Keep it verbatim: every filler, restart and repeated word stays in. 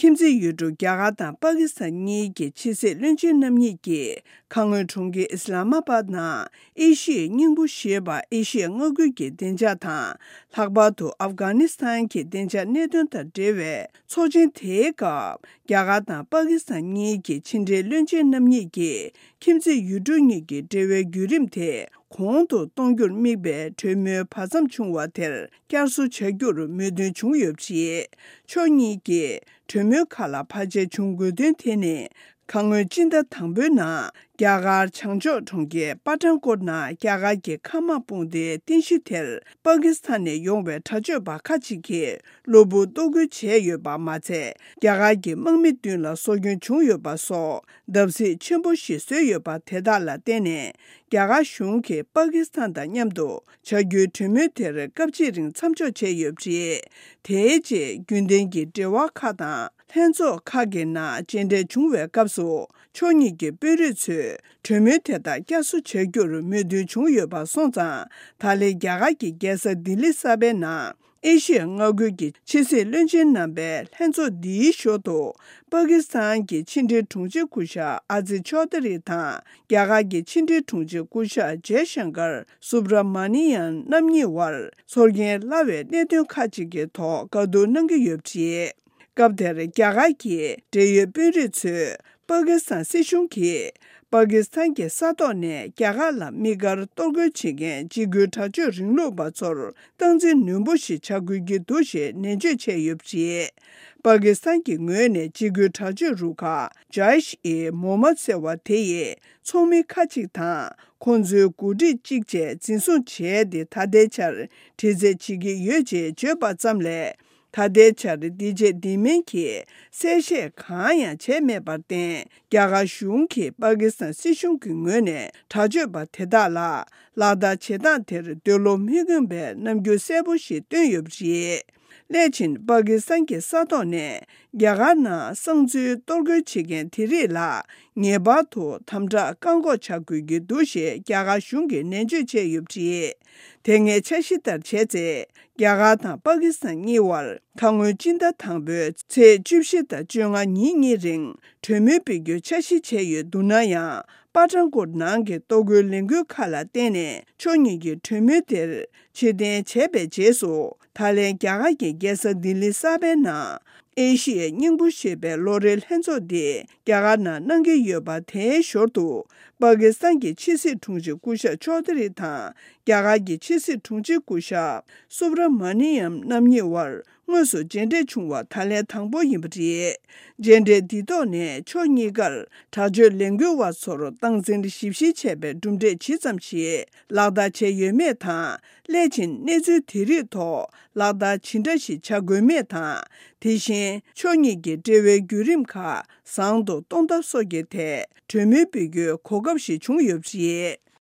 ཁྱིམ་མཚེས་ཡུལ་གྲུ་རྒྱ་གར་དང་པ་ཀི་སི་ཐན་གཉིས་ཀྱི་ཕྱི་སྲིད་བློན་ཆེན་རྣམ་གཉིས་ཀྱིས་ཁ་སྔོན་གྲོང་ཁྱེར་ཨི་སི་ལ་མ་པཱད་ནང་ཨེ་ཤི་ཡའི་སྙིང་པོ་ཞེས་པ་ཨེ་ཤི་ཡ་མངའ་ཁུལ་གྱི་བདེ་འཇགས་དང་། ལྷག་པར་དུ་ཨབ་གྷ་ནི་སི་ཐན་གྱི་བདེ་འཇགས་གནད་དོན་དང་འབྲེལ་བའི་ཚོགས་ཆེན་དེའི་སྐབས། རྒྱ་གར་དང་པ་ཀི་སི་ཐན་གཉིས་ཀྱི་ཕྱི་འབྲེལ་བློན་ཆེན་རྣམ་གཉིས་ཀྱིས་ཁྱིམ་མཚེས་ཡུལ་གྲུ་གཉིས་ཀྱི་འབྲེལ་བའི་བརྒྱུད་རིམ་དེ་གོང་དུ་གཏོང་རྒྱུར་དམིགས་པའི་གྲོས་མོལ་བར་མཚམས་བྱུང་བ་དེར་བསྐྱར་གསོ་བྱ་རྒྱུར་མོས་མཐུན་བྱུང་ཡོད་པ་རེད། ཕྱོགས་གཉིས་ཀྱིས་གྲོས་མོལ་ཁག་ལ་བར་ཆད་བྱུང་དགོས་དོན་དེ་ནི། ཁ་སྔོན་སྤྱི་ཟླ་དང་པོའི་ནང་རྒྱ་གར་བྱང་ཕྱོགས་གྲོང་ཁྱེར་པ་ཐན་ཀོཊ་ནང་རྒྱ་གར་གྱི་མཁའ་དམག་དཔུང་སྡེའི་རྟེན་གཞི་དེར་པ་ཀི་སི་ཐན་ནས་ཡོང་བའི་དྲག་སྤྱོད་པ་ཁག་ཅིག་གིས་གློ་བུར་གཏོར་རྒོལ་བྱས་ཡོད་པ་མ་ཚད། རྒྱ་གར་གྱི་དམག་མི་མདུན་ལ་སྲོག་སྐྱོན་བྱུང་ཡོད་པ་སོགས་བརྡབ་གསིག་ཆེན་པོ་ཞིག་བཟོས་ཡོད་པ་དེ་དག་ལ་བརྟེན་ནས། རྒྱ་གར་གཞུང་གིས་པ་ཀི་སི་ཐན་དང་མཉམ་དུ་བྱ་རྒྱུའི་གྲོས་མོལ་དེར་སྐབས་གཅིག་རིང་མཚམས་འཇོག་བྱས་ཡོད་པ་རེད། དེའི་རྗེས་རྒྱུན་ལྡན་གྱི་འབྲེལ་བ་ཁག་དང་། ལྷན་ཚོགས་ཁག་གི་ནང་མཇལ་འཕྲད་བྱུང་བའི་སྐབས་སུ། ཕྱོགས་གཉིས་ཀྱི་དཔོན་རིགས་ཚོས་གྲོས་མོལ་དེ་དག་བསྐྱར་གསོ་བྱ་རྒྱུར་མོས་མཐུན་བྱུང་ཡོད་པ་སོང་ཙང་། ད་ལན་རྒྱ་གར་གྱི་རྒྱལ་ས་ལྡི་ལི་གསར་པའི་ནང་། ཨེ་ཤི་ཡ་མངའ་ཁུལ་གྱི་ཕྱི་སྲིད་བློན་ཆེན་རྣམ་པའི་ལྷན་ཚོགས་འདིའི་ཞོར་དུ། པ་ཀི་སི་ཐན་གྱི་ཕྱི་འབྲེལ་དྲུང་ཆེ་སྐུ་ཞབས་ཨ་ཛི་ཆོ་དྷ་རི་དང་། རྒྱ་གར་གྱི་ཕྱི་འབྲེལ་དྲུང་ཆེ་སྐུ་ཞབས་ཇེ་ཤང་ཀར་སུབ་ར་མ་ནི་ཡན་རྣམ་གཉིས་བར་ཚོར་སྐྱེན་སླ་བའི་གནད་དོན་ཁག་ཅིག་གི་ཐོག་བཀའ་བསྡུར་གནང་གི་ཡོད་པ་རེད། སྐབས་དེར་རྒྱ་གར་གྱི་འབྲེལ་ཡོད་དཔོན་རིགས་ཚོས་པ་ཀི་སི་ཐན་སྲིད་གཞུང་གིས་པ་ཀི་སི་ཐན་གྱི་ས་ཐོག་ནས་རྒྱ་གར་ལ་དམིགས་བཀར་གཏོར་རྒོལ་བྱེད་མཁན་འཇིགས་སྐུལ་དྲག་སྤྱོད་རིང་ལུགས་པ་ཚོར་སྟངས་འཛིན་ནན་པོ་ཞིག་བྱ་དགོས་ཀྱི་འདུག་ཞེས་ནན་བརྗོད་བྱས་ཡོད་པ་རེད། པ་ཀི་སི་ཐན་གྱི་ངོས་ནས་འཇིགས་སྐུལ་དྲག་སྤྱོད་རུ་ཁག་ཇཱ་ཨིཤ་ཨི་མོ་མད་ཟེར་བ་དེ་ཡི་ཚོགས་མི་ཁག་ཅིག་དང་ཁོང་ཚོའི་འགོ་ཁྲིད་གཅིག་བཅས་འཛིན་བཟུང་བྱས་ཏེ་ད་ལྟའི་ཆར་དྲི་རྩད་བྱེད་ཀྱི་ཡོད་ཅེས་བརྗོད་པ་ཙམ་ལས། ད་ལྟའི་ཆར་འདི་རྗེས་འདི་མིན་གྱི་གསལ་བཤད་གང་ཡང་བྱས་མེད་པར་བརྟེན། རྒྱ་གར་གཞུང་གིས་པ་ཀི་སི་ཐན་སྲིད་གཞུང་གི་ངོས་ནས་དྲག་སྤྱོད་པ་དེ་དག་ལ་ལག་བསྟར་བྱེད་སྟངས་དེར་འདོད་བློ་མི་ཁེངས་པའི་རྣམ་འགྱུར་གསལ་པོ་ཞིག་བཏོན་ཡོད་པ་རེད། སླད་ཕྱིན་པ་ཀི་སི་ཐན་གྱི་ས་ཐོག་ནས་རྒྱ་གར་ནང་གསང་འཛུལ་གཏོར་རྒོལ་བྱེད་མཁན་དེ་རིགས་ལ་ངེས་པར་དུ་དམ་དྲག་བཀག་འགོག་བྱ་དགོས་ཀྱི་འདུག་ཞེས་རྒྱ་གར་གཞུང་གིས་ནན་བརྗོད་བྱས་ཡོད་པ་རེད། དེ་སྔའི་འཆར་གཞི་ལྟར་བྱས་ཚེ། རྒྱ་གར་དང་པ་ཀི་སི་ཐན་གཉིས་བར་ཁ་སྔོན་སྤྱི་ཟླ་དང་པོའི་ཚེས་བཅུ་བཞི་དང་བཅོ་ལྔ་ཉིན་གཉིས་རིང་གྲོས་མོལ་སྤེལ་རྒྱུའི་འཆར་གཞི་བྱས་ཡོད་འདུག་ན་ཡང་། པ་ཐན་ཀོཊ་ནང་གི་གཏོར་རྒོལ་ལས་འགུལ་ཁག་ལ་བརྟེན་ནས་ཕྱོགས་གཉིས་ཀྱི་གྲོས་མོལ་དེར་ཕྱིར་འཐེན་བྱས་པའི་རྗེས་སུ། ད་ལན་རྒྱ་གར་གྱི་རྒྱལ་ས་ལྡི་ལི་གསར་པའི་ནང་། ཨེ་ཤི་ཡའི་སྙིང་པོ་ཞེས་པའི་ལོ་རེའི་ལྷན་ཚོགས་འདི་རྒྱ་གར་ནང་གནང་གི་ཡོད་པ། དེའི་ཞོར་དུ་པ་ཀི་སི་ཐན་གྱི་ཕྱི་སྲིད་དྲུང་ཆེ་སྐུ་ཞབས་ཆོ་དྷ་རི་དང་རྒྱ་གར་གྱི་ཕྱི་སྲིད་དྲུང་ཆེ་སྐུ་ཞབས་སུབ་ར་མ་ནི་ཡམ་རྣམ་གཉིས་བར་དངོས་སུ་མཇལ་འཕྲད་བྱུང་བ་ད་ལན་དང་པོ་ཡིན་པ་རེད། མཇལ་འཕྲད་འདིའི་ཐོག་ནས་ཕྱོགས་གཉིས་ཀར་དྲག་སྤྱོད་ལས་འགུལ་བ་ཚོར་སྟངས་འཛིན་ཞིབ་བཤེར་བྱས་པའི་གྲུབ་འབྲས་ཇི་ཙམ་ཞིག་ལག་བསྟར་བྱས་ཡོད་མེད་དང་། སླད་ཕྱིན་གནས་ཚུལ་དེ་རིགས་ཐོག་ལག་བསྟར་ཇི་འདྲ་ཞིག་བྱ་དགོས་མེད་དང་། དེ་བཞིན་ཕྱོགས་གཉིས་ཀྱི་འབྲེལ་བའི་བརྒྱུད་རིམ་ཁག་བཟང་དུ་གཏོང་ཐབས་སོགས་ཀྱི་ཐད་གྲོས་མོལ་སྤེལ་རྒྱུའི་གོ་སྐབས་ཤིག་བྱུང་ཡོད་པ་རེད།